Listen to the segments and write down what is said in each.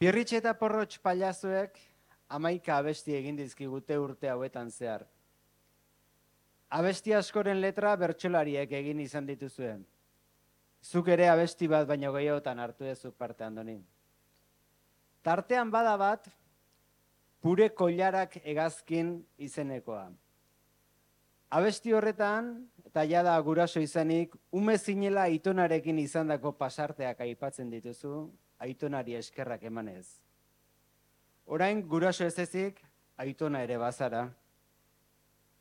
Pirritx eta Porrotx pailazoek 11 abesti egin dizkigute urte hauetan zehar. Abesti askoren letra bertsolariek egin izan dituzuen. Zuk ere abesti bat baino gehiagotan hartu duzu parte, Andoni. Tartean bada bat, Pure Koilarak hegazkin izenekoa. Abesti horretan, eta jada guraso izanik, ume zinela aitonarekin izandako pasarteak aipatzen dituzu, aitonari eskerrak emanez. Orain guraso ez ezik, aitona ere bazara.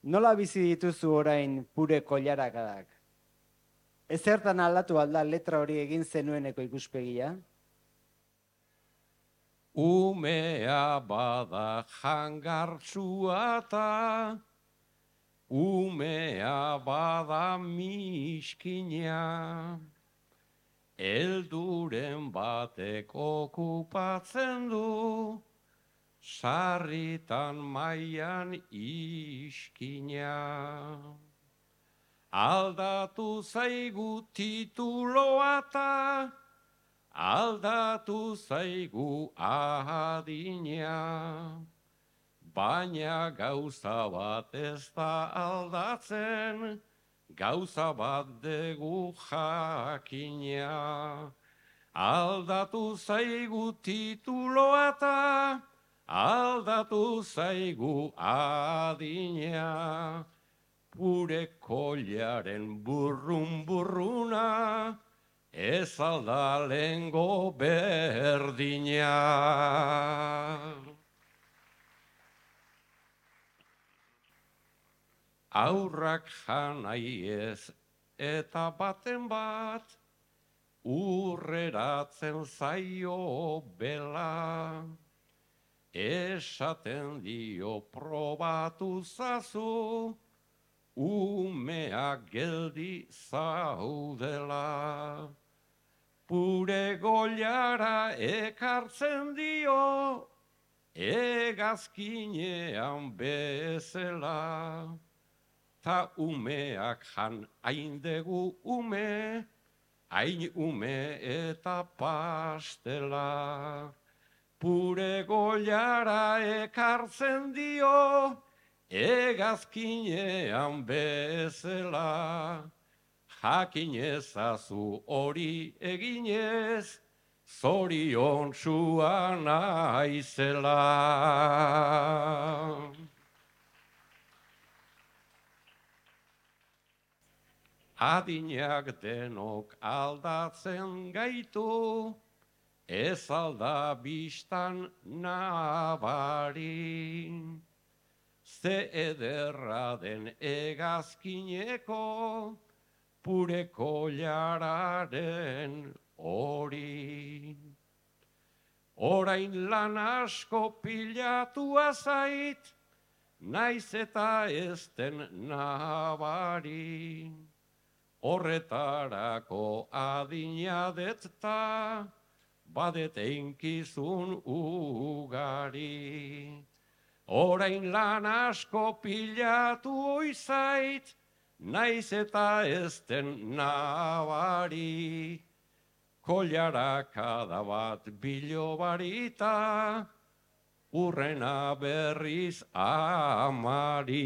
Nola bizi dituzu orain Pure Koilarakadak? Ezertan aldatu alda letra hori egin zenueneko ikuspegia? Umea bada jangartsua ta, umea bada miskina, elduren batek okupatzen du, sarritan mailan iskina. Aldatu zaigu tituloa ta, aldatu zaigu adina, baina gauza bat ez da aldatzen, gauza bat dugu jakina. Aldatu zaigu tituloa ta, aldatu zaigu adina, Pure Koilaren burrun-burruna, ez alda lehengo berdina. Aurrak janai ez eta baten bat, urreratzen zaio bela. Esaten dio probatu zazu, umeak geldi zaudela. Pure Koilara ekartzen dio, hegazkinean bezala. Ta umeak jan haindegu ume, hain ume eta pastela. Pure Koilara ekartzen dio, hegazkinean bezala. Jakin ezazu hori eginez, zoriontsua naizela. Adinak denok aldatzen gaitu, ez alda bistan nabari. Ze ederra den hegazkineko, Pure Koilararen hori. Orain lan asko pilatua zait, naiz eta ez den nabari. Horretarako adina detta, badet einkizun ugari. Orain lan asko pilatu oizait, naiz eta ez den nabari. Koilarakada bat bilobarita, urrena berriz amari.